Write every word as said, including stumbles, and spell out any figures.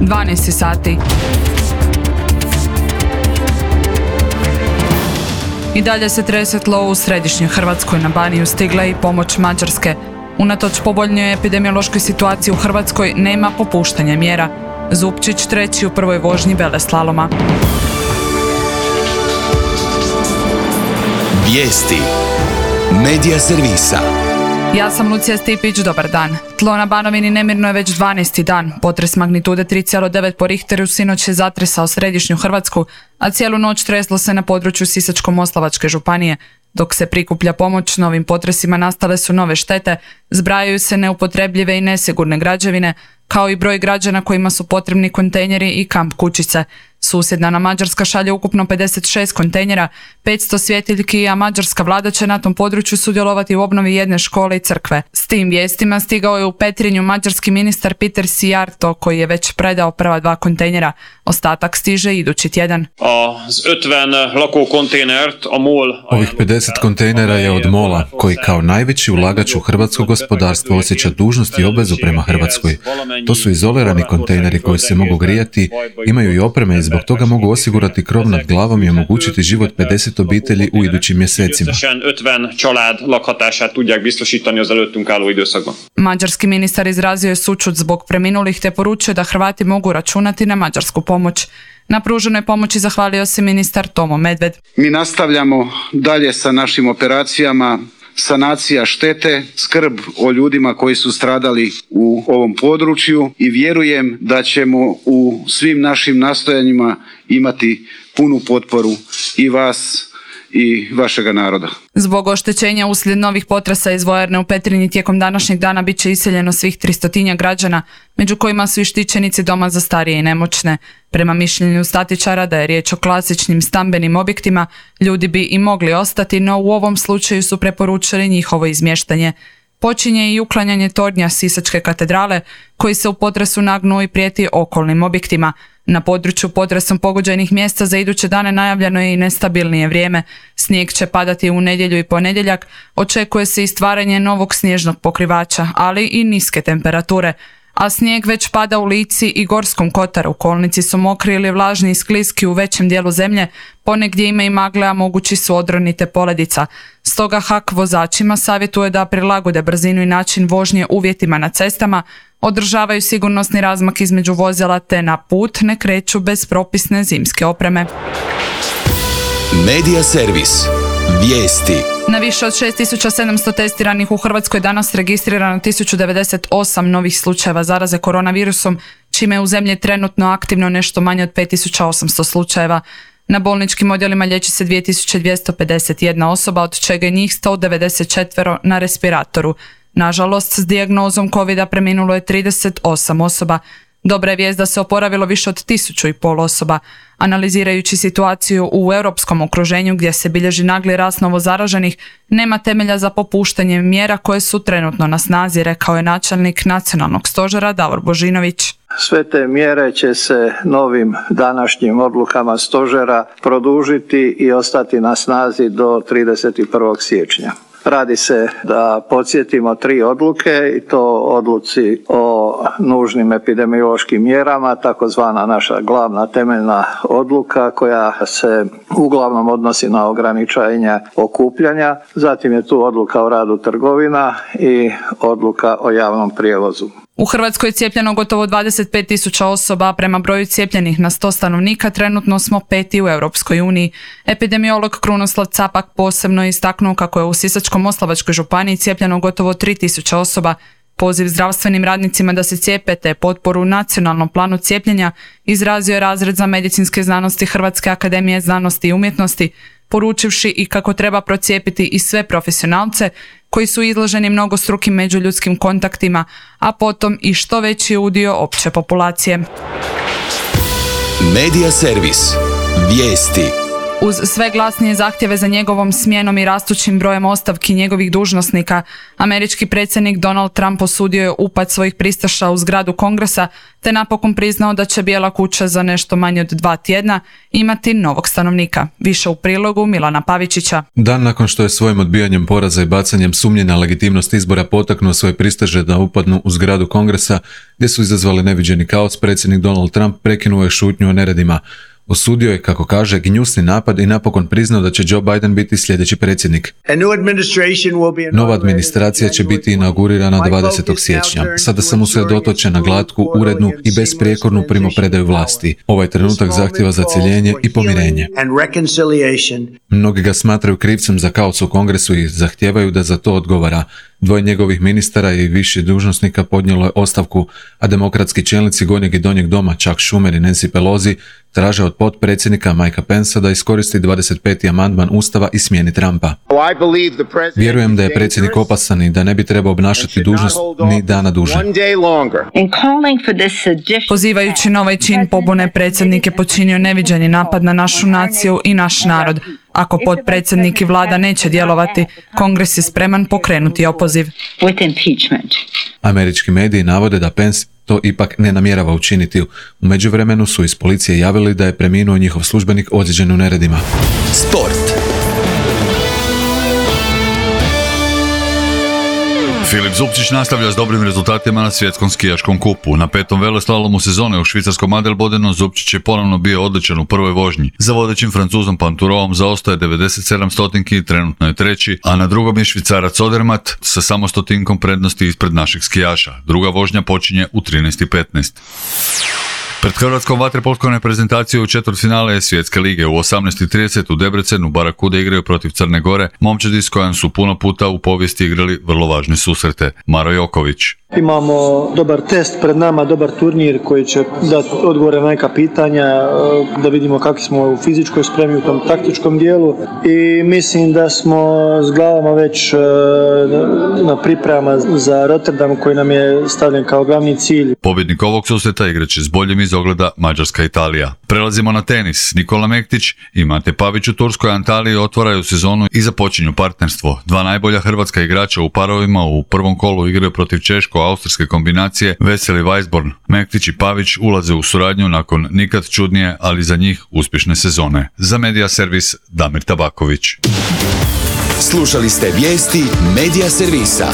dvanaest sati. I dalje se trese tlo u središnjoj Hrvatskoj. Na Baniju stigla i pomoć Mađarske. Unatoč povoljnoj epidemiološkoj situaciji u Hrvatskoj nema popuštanja mjera. Zupčić treći u prvoj vožnji veleslaloma. Vijesti Medija servisa. Ja sam Lucija Stipić, dobar dan. Tlo na Banovini nemirno je već dvanaesti dan. Potres magnitude tri zarez devet po Richteru sinoć je zatresao središnju Hrvatsku, a cijelu noć treslo se na području Sisačko-moslavačke županije. Dok se prikuplja pomoć, novim potresima nastale su nove štete, zbrajaju se neupotrebljive i nesigurne građevine, kao i broj građana kojima su potrebni kontejneri i kamp kućice. Susjedna nam Mađarska šalje ukupno pedeset šest kontejnera, petsto svjetiljki, a mađarska vlada će na tom području sudjelovati u obnovi jedne škole i crkve. S tim vijestima stigao je u Petrinju mađarski ministar Peter Szijjártó, koji je već predao prva dva kontejnera. Ostatak stiže idući tjedan. Ovih pedeset kontejnera je od MOL-a, koji kao najveći ulagač u hrvatsko gospodarstvo osjeća dužnost i obvezu prema Hrvatskoj. To su izolirani kontejneri koji se mogu grijati, imaju i opreme i zbog toga mogu osigurati krov nad glavom i omogućiti život pedeset obitelji u idućim mjesecima. Mađarski ministar izrazio je sućut zbog preminulih te poručio da Hrvati mogu računati na mađarsku pomoć. Na pruženoj pomoći zahvalio se ministar Tomo Medved. Mi nastavljamo dalje sa našim operacijama sanacija štete, skrb o ljudima koji su stradali u ovom području i vjerujem da ćemo u svim našim nastojanjima imati punu potporu i vas i vašega naroda. Zbog oštećenja uslijed novih potresa iz vojarne u Petrinji tijekom današnjeg dana bit će iseljeno svih tristotinja građana, među kojima su i štićenici doma za starije i nemoćne. Prema mišljenju statičara da je riječ o klasičnim stambenim objektima, ljudi bi i mogli ostati, no u ovom slučaju su preporučili njihovo izmještanje. Počinje i uklanjanje tornja Sisačke katedrale, koji se u potresu nagnuo i prijeti okolnim objektima. Na području potresom pogođenih mjesta za iduće dane najavljeno je i nestabilnije vrijeme. Snijeg će padati u nedjelju i ponedjeljak, očekuje se i stvaranje novog snježnog pokrivača, ali i niske temperature. A snijeg već pada u Lici i Gorskom kotaru. Kolnici su mokri ili vlažni i skliski u većem dijelu zemlje, ponegdje ima i magle, a mogući su odroni te poledica. Stoga H A K vozačima savjetuje da prilagode brzinu i način vožnje uvjetima na cestama, održavaju sigurnosni razmak između vozila te na put ne kreću bez propisne zimske opreme. Medija servis. Vijesti. Na više od šest tisuća sedamsto testiranih u Hrvatskoj danas registrirano tisuću devedeset osam novih slučajeva zaraze koronavirusom, čime je u zemlji trenutno aktivno nešto manje od pet tisuća osamsto slučajeva. Na bolničkim odjelima liječi se dvije tisuće dvjesto pedeset jedna osoba, od čega je njih sto devedeset četiri na respiratoru. Nažalost, s dijagnozom covida preminulo je trideset osam osoba. Dobra je vijest da se oporavilo više od tisuću i pol osoba. Analizirajući situaciju u europskom okruženju gdje se bilježi nagli rast novozaraženih, nema temelja za popuštanje mjera koje su trenutno na snazi, rekao je načelnik nacionalnog stožera Davor Božinović. Sve te mjere će se novim današnjim odlukama stožera produžiti i ostati na snazi do trideset prvog siječnja. Radi se, da podsjetimo, tri odluke i to odluci o nužnim epidemiološkim mjerama, takozvana naša glavna temeljna odluka koja se uglavnom odnosi na ograničenje okupljanja. Zatim je tu odluka o radu trgovina i odluka o javnom prijevozu. U Hrvatskoj je cijepljeno gotovo dvadeset pet tisuća osoba, prema broju cijepljenih na sto stanovnika trenutno smo peti u Europskoj uniji. Epidemiolog Krunoslav Capak posebno je istaknuo kako je u Sisačko-moslavačkoj županiji cijepljeno gotovo tri tisuće osoba. Poziv zdravstvenim radnicima da se cijepe te potporu nacionalnom planu cijepljenja izrazio je razred za medicinske znanosti Hrvatske akademije znanosti i umjetnosti, poručivši i kako treba procijepiti i sve profesionalce koji su izloženi mnogostrukim međuljudskim kontaktima, a potom i što veći udio opće populacije. Medija servis. Vijesti. Uz sve glasnije zahtjeve za njegovom smjenom i rastućim brojem ostavki njegovih dužnosnika, američki predsjednik Donald Trump osudio je upad svojih pristaša u zgradu Kongresa te napokon priznao da će Bijela kuća za nešto manje od dva tjedna imati novog stanovnika. Više u prilogu Milana Pavičića. Dan nakon što je svojim odbijanjem poraza i bacanjem sumnje na legitimnost izbora potaknuo svoje pristaše da upadnu u zgradu Kongresa, gdje su izazvali neviđeni kaos, predsjednik Donald Trump prekinuo je šutnju o neredima. Osudio je, kako kaže, gnjusni napad i napokon priznao da će Joe Biden biti sljedeći predsjednik. Nova administracija će biti inaugurirana dvadesetog siječnja. Sada sam usredotočen na glatku, urednu i besprijekornu primopredaju vlasti. Ovaj trenutak zahtjeva zacjeljenje i pomirenje. Mnogi ga smatraju krivcem za kaos u Kongresu i zahtijevaju da za to odgovara. Dvoje njegovih ministara i viših dužnosnika podnijelo je ostavku, a demokratski čelnici Gornjeg i Donjeg doma Chuck Schumer i Nancy Pelosi traže od potpredsjednika Mikea Pencea da iskoristi dvadeset peti amandman Ustava i smijeni Trumpa. Vjerujem da je predsjednik opasan i da ne bi trebao obnašati dužnost ni dana duže. Pozivajući na ovaj čin pobune, predsjednik je počinio neviđeni napad na našu naciju i naš narod. Ako potpredsjednik i vlada neće djelovati, Kongres je spreman pokrenuti opoziv. Američki mediji navode da Pence to ipak ne namjerava učiniti. U međuvremenu su iz policije javili da je preminuo njihov službenik ozlijeđen u neredima. Sport. Filip Zupčić nastavlja s dobrim rezultatima na svjetskom skijaškom kupu. Na petom veleslalomu sezone u švicarskom Adelbodenu Zupčić je ponovno bio odličan u prvoj vožnji. Za vodećim Francuzom Panturovom zaostaje devedeset sedam stotinki i trenutno je treći, a na drugom je Švicarac Odermatt sa samo stotinkom prednosti ispred naših skijaša. Druga vožnja počinje u trinaest i petnaest. Pred hrvatskom vaterpolskom reprezentacijom u četvrtfinale je Svjetske lige. U osamnaest i trideset u Debrecenu Barakude igraju protiv Crne Gore, momčadi s kojom su puno puta u povijesti igrali vrlo važne susrete. Maro Joković. Imamo dobar test pred nama, dobar turnir koji će dati odgovore na neka pitanja, da vidimo kako smo u fizičkoj spremi, u tom taktičkom dijelu i mislim da smo s glavama već na pripremama za Rotterdam koji nam je stavljen kao glavni cilj. Pobjednik ovog susreta igraće s boljim iz ogleda Mađarska-Italija. Prelazimo na tenis. Nikola Mektić i Mate Pavić u turskoj Antaliji otvaraju sezonu i započinju partnerstvo. Dva najbolja hrvatska igrača u parovima u prvom kolu igraju protiv češko-austrijske kombinacije Veseli Weisborn. Mektić i Pavić ulaze u suradnju nakon nikad čudnije, ali za njih uspješne sezone. Za Media Servis Damir Tabaković. Slušali ste vijesti Media Servisa.